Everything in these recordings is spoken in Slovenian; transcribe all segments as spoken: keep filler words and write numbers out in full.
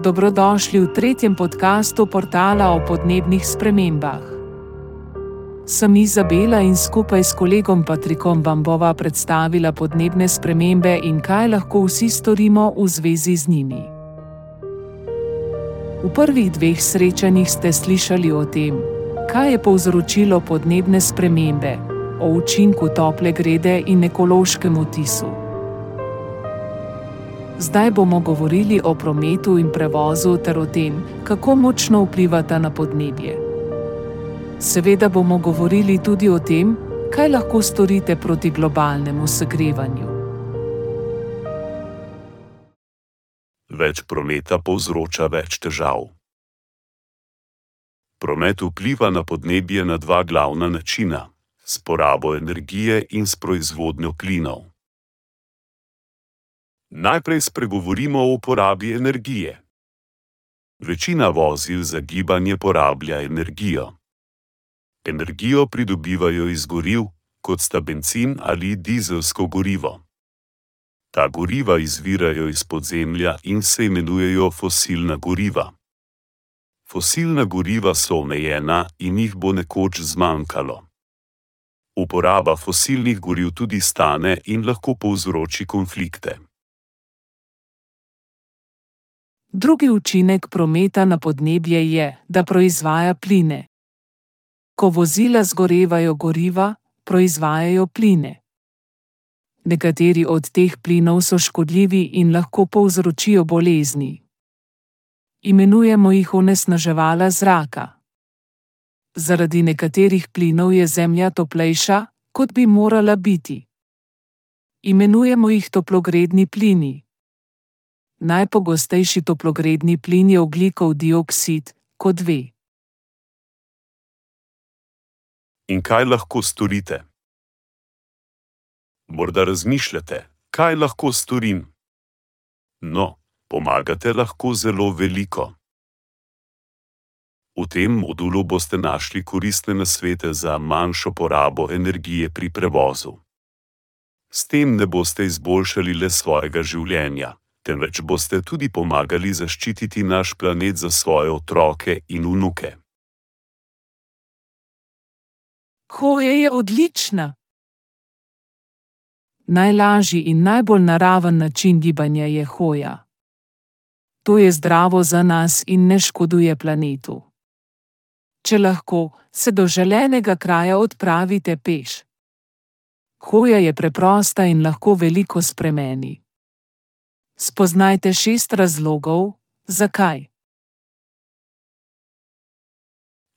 Dobrodošli v tretjem podkastu portala o podnebnih spremembah. Sem Izabela in skupaj s kolegom Patrikom vam bova predstavila podnebne spremembe in kaj lahko vsi storimo v zvezi z njimi. V prvih dveh srečanjih ste slišali o tem, kaj je povzročilo podnebne spremembe, o učinku tople grede in ekološkem vtisu. Zdaj bomo govorili o prometu in prevozu ter o tem, kako močno vplivata na podnebje. Seveda bomo govorili tudi o tem, kaj lahko storite proti globalnemu segrevanju. Več prometa povzroča več težav. Promet vpliva na podnebje na dva glavna načina, s porabo energije in s proizvodnjo plinov. Najprej spregovorimo o uporabi energije. Večina vozil za gibanje porablja energijo. Energijo pridobivajo iz goriv, kot sta bencin ali dizelsko gorivo. Ta goriva izvirajo iz podzemlja in se imenujejo fosilna goriva. Fosilna goriva so omejena in jih bo nekoč zmanjkalo. Uporaba fosilnih goriv tudi stane in lahko povzroči konflikte. Drugi učinek prometa na podnebje je, da proizvaja pline. Ko vozila zgorevajo goriva, proizvajajo pline. Nekateri od teh plinov so škodljivi in lahko povzročijo bolezni. Imenujemo jih onesnaževala zraka. Zaradi nekaterih plinov je Zemlja toplejša, kot bi morala biti. Imenujemo jih toplogredni plini. Najpogostejši toplogredni plin je ogljikov dioksid, kot ve. In kaj lahko storite? Morda razmišljate, kaj lahko storim? No, pomagate lahko zelo veliko. V tem modulu boste našli koristne nasvete za manjšo porabo energije pri prevozu. S tem ne boste izboljšali le svojega življenja, temveč boste tudi pomagali zaščititi naš planet za svoje otroke in vnuke. Hoja je odlična. Najlažji in najbolj naraven način gibanja je hoja. To je zdravo za nas in ne škoduje planetu. Če lahko, se do želenega kraja odpravite peš. Hoja je preprosta in lahko veliko spremeni. Spoznajte šest razlogov, zakaj.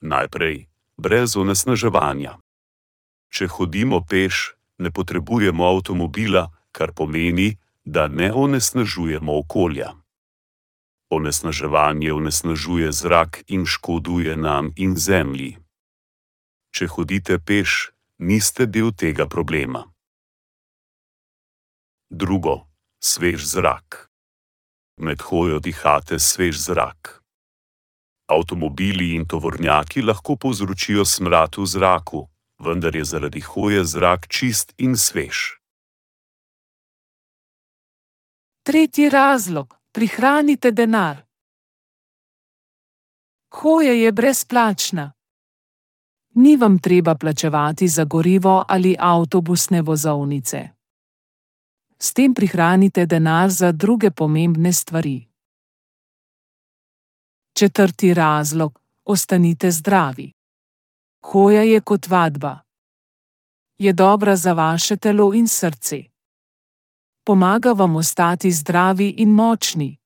Najprej, brez onesnaževanja. Če hodimo peš, ne potrebujemo avtomobila, kar pomeni, da ne onesnažujemo okolja. Onesnaževanje onesnažuje zrak in škoduje nam in Zemlji. Če hodite peš, niste del tega problema. Drugo, svež zrak. Med hojo dihate svež zrak. Avtomobili in tovornjaki lahko povzročijo smrad v zraku, vendar je zaradi hoje zrak čist in svež. Tretji razlog, prihranite denar. Hoja je brezplačna. Ni vam treba plačevati za gorivo ali avtobusne vozovnice. S tem prihranite denar za druge pomembne stvari. Četrti razlog, ostanite zdravi. Hoja je kot vadba. Je dobra za vaše telo in srce. Pomaga vam ostati zdravi in močni.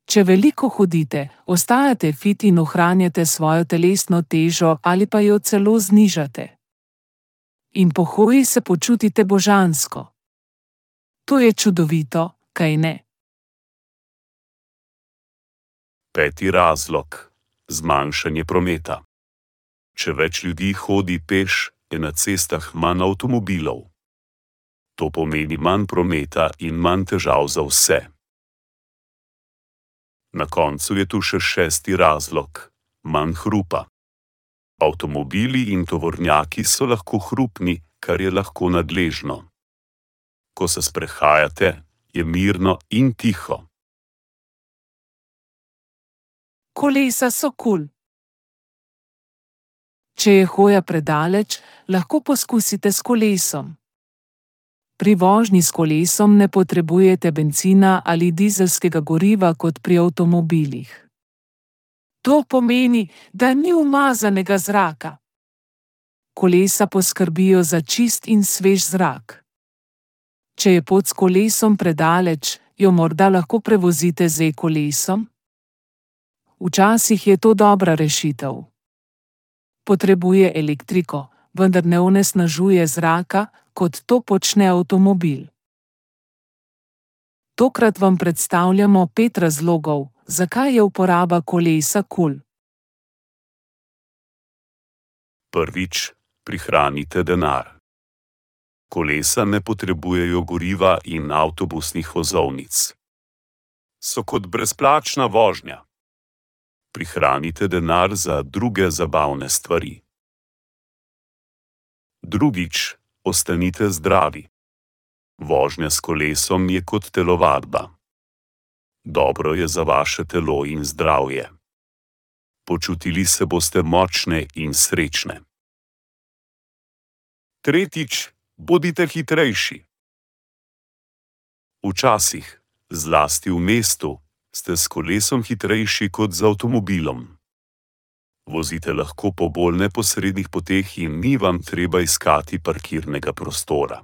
Če veliko hodite, ostajate fit in ohranjate svojo telesno težo ali pa jo celo znižate. In po hoji se počutite božansko. To je čudovito, kaj ne? Peti razlog, zmanjšanje prometa. Če več ljudi hodi peš, je na cestah manj avtomobilov. To pomeni manj prometa in manj težav za vse. Na koncu je tu še šesti razlog, manj hrupa. Avtomobili in tovornjaki so lahko hrupni, kar je lahko nadležno. Ko se sprehajate, je mirno in tiho. Kolesa so kul. Če je hoja predaleč, lahko poskusite s kolesom. Pri vožnji s kolesom ne potrebujete bencina ali dizelskega goriva kot pri avtomobilih. To pomeni, da ni umazanega zraka. Kolesa poskrbijo za čist in svež zrak. Če je pot s kolesom predaleč, jo morda lahko prevozite z e-kolesom? Včasih je to dobra rešitev. Potrebuje elektriko, vendar ne onesnažuje zraka, kot to počne avtomobil. Tokrat vam predstavljamo pet razlogov, zakaj je uporaba kolesa kul. Prvič, prihranite denar. Kolesa ne potrebujejo goriva in avtobusnih vozovnic. So kot brezplačna vožnja. Prihranite denar za druge zabavne stvari. Drugič, ostanite zdravi. Vožnja s kolesom je kot telovadba. Dobro je za vaše telo in zdravje. Počutili se boste močne in srečne. Tretjič, bodite hitrejši. Včasih, zlasti v mestu, ste s kolesom hitrejši kot z avtomobilom. Vozite lahko po bolj neposrednih poteh in ni vam treba iskati parkirnega prostora.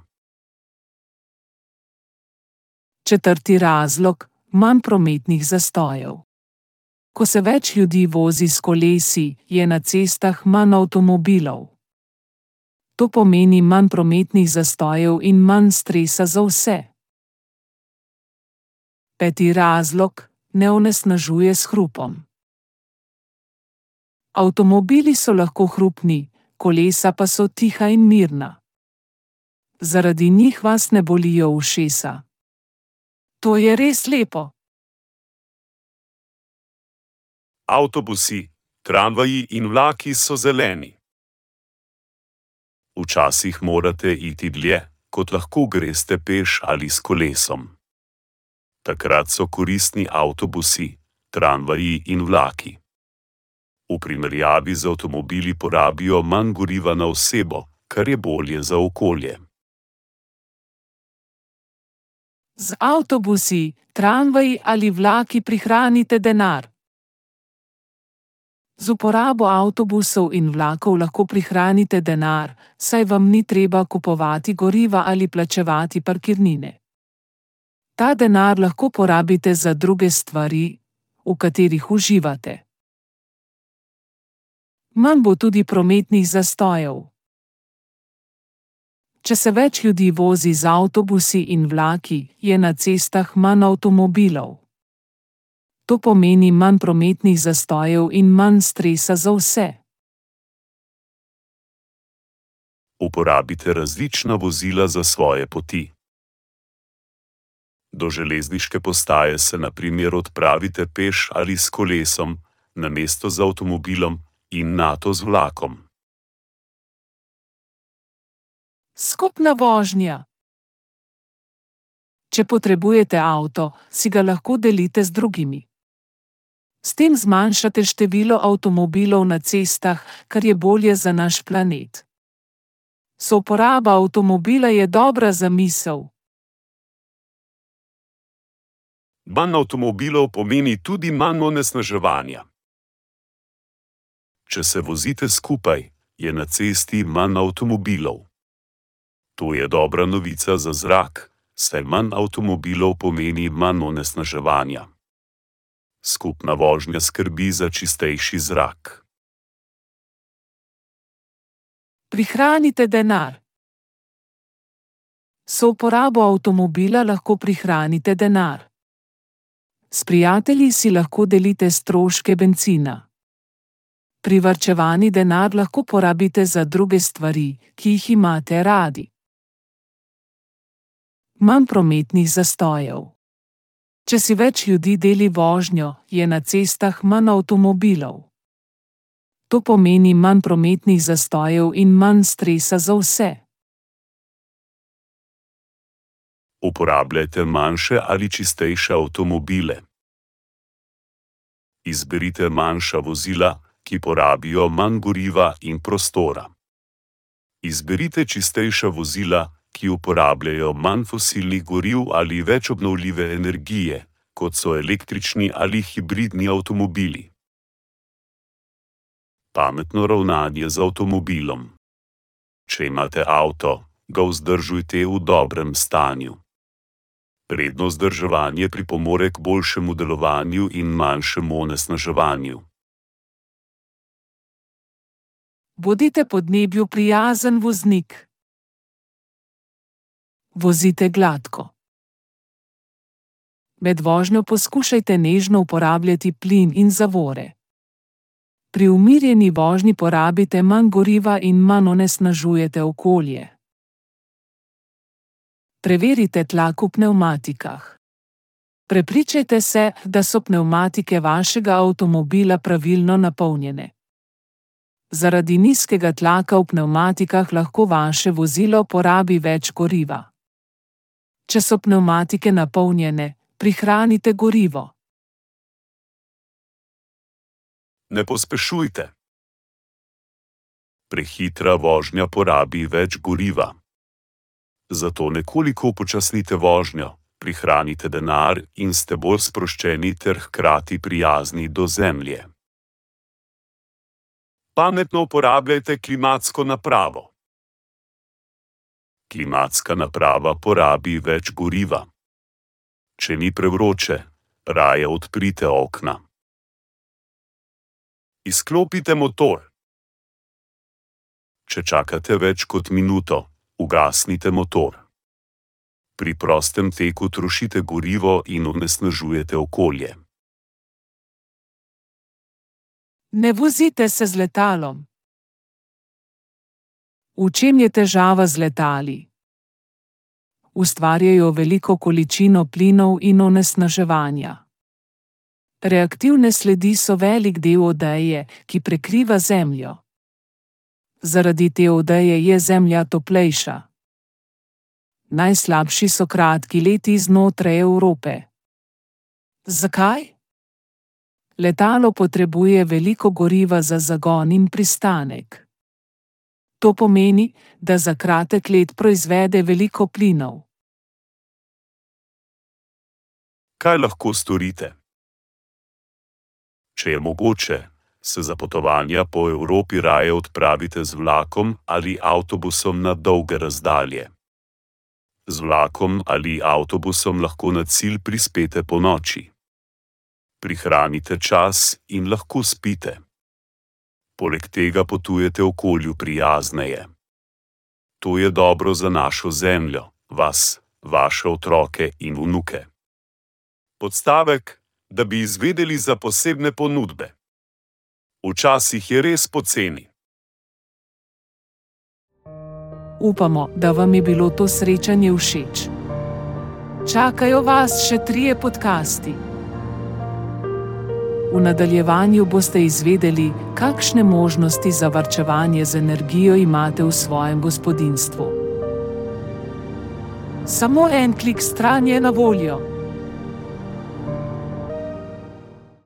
Četrti razlog, manj prometnih zastojev. Ko se več ljudi vozi s kolesi, je na cestah manj avtomobilov. To pomeni manj prometnih zastojev in manj stresa za vse. Peti razlog, ne onesnažuje s hrupom. Avtomobili so lahko hrupni, kolesa pa so tiha in mirna. Zaradi njih vas ne bolijo ušesa. To je res lepo. Avtobusi, tramvaji in vlaki so zeleni. Včasih morate iti dlje, kot lahko greste peš ali s kolesom. Takrat so koristni avtobusi, tramvaji in vlaki. V primerjavi z avtomobili porabijo manj goriva na osebo, kar je bolje za okolje. Z avtobusi, tramvaji ali vlaki prihranite denar. Z uporabo avtobusov in vlakov lahko prihranite denar, saj vam ni treba kupovati goriva ali plačevati parkirnine. Ta denar lahko porabite za druge stvari, v katerih uživate. Manj bo tudi prometnih zastojev. Če se več ljudi vozi z avtobusi in vlaki, je na cestah manj avtomobilov. To pomeni manj prometnih zastojev in manj stresa za vse. Uporabite različna vozila za svoje poti. Do železniške postaje se na primer odpravite peš ali s kolesom, namesto z avtomobilom, in nato z vlakom. Skupna vožnja. Če potrebujete avto, si ga lahko delite z drugimi. S tem zmanjšate število avtomobilov na cestah, kar je bolje za naš planet. Souporaba avtomobila je dobra zamisel. Manj avtomobilov pomeni tudi manj onesnaževanja. Če se vozite skupaj, je na cesti manj avtomobilov. To je dobra novica za zrak, saj manj avtomobilov pomeni manj onesnaževanja. Skupna vožnja skrbi za čistejši zrak. Prihranite denar. S souporabo avtomobila lahko prihranite denar. S prijatelji si lahko delite stroške bencina. Privarčevani denar lahko porabite za druge stvari, ki jih imate radi. Manj prometnih zastojev. Če si več ljudi deli vožnjo, je na cestah manj avtomobilov. To pomeni manj prometnih zastojev in manj stresa za vse. Uporabljajte manjše ali čistejše avtomobile. Izberite manjša vozila, ki porabijo manj goriva in prostora. Izberite čistejša vozila, ki uporabljajo manj fosilnih goriv ali več obnovljive energije, kot so električni ali hibridni avtomobili. Pametno ravnanje z avtomobilom. Če imate avto, ga vzdržujte v dobrem stanju. Redno vzdrževanje pripomore k boljšemu delovanju in manjšemu onesnaževanju. Bodite podnebju prijazen voznik. Vozite gladko. Med vožnjo poskušajte nežno uporabljati plin in zavore. Pri umirjeni vožnji porabite manj goriva in manj onesnažujete okolje. Preverite tlak v pnevmatikah. Prepričajte se, da so pnevmatike vašega avtomobila pravilno napolnjene. Zaradi nizkega tlaka v pnevmatikah lahko vaše vozilo porabi več goriva. Če so pnevmatike napolnjene, prihranite gorivo. Ne pospešujte. Prehitra vožnja porabi več goriva. Zato nekoliko upočasnite vožnjo, prihranite denar in ste bolj sproščeni ter hkrati prijazni do zemlje. Pametno uporabljajte klimatsko napravo. Klimatska naprava porabi več goriva. Če ni prevroče, raje odprite okna. Izklopite motor. Če čakate več kot minuto, ugasnite motor. Pri prostem teku trošite gorivo in onesnažujete okolje. Ne vozite se z letalom. V čem je težava z letali? Ustvarjajo veliko količino plinov in onesnaževanja. Reaktivne sledi so velik del odeje, ki prekriva Zemljo. Zaradi te odeje je Zemlja toplejša. Najslabši so kratki leti znotraj Evrope. Zakaj? Letalo potrebuje veliko goriva za zagon in pristanek. To pomeni, da za kratek let proizvede veliko plinov. Kaj lahko storite? Če je mogoče, se za potovanja po Evropi raje odpravite z vlakom ali avtobusom na dolge razdalje. Z vlakom ali avtobusom lahko na cilj prispete ponoči. Prihranite čas in lahko spite. Poleg tega potujete okolju prijazneje. To je dobro za našo Zemljo, vas, vaše otroke in vnuke. Podstavek, da bi izvedeli za posebne ponudbe. Včasih je res poceni. Upamo, da vam je bilo to srečanje všeč. Čakajo vas še trije podcasti. V nadaljevanju boste izvedeli, kakšne možnosti za varčevanje z energijo imate v svojem gospodinjstvu. Samo en klik stran je na voljo.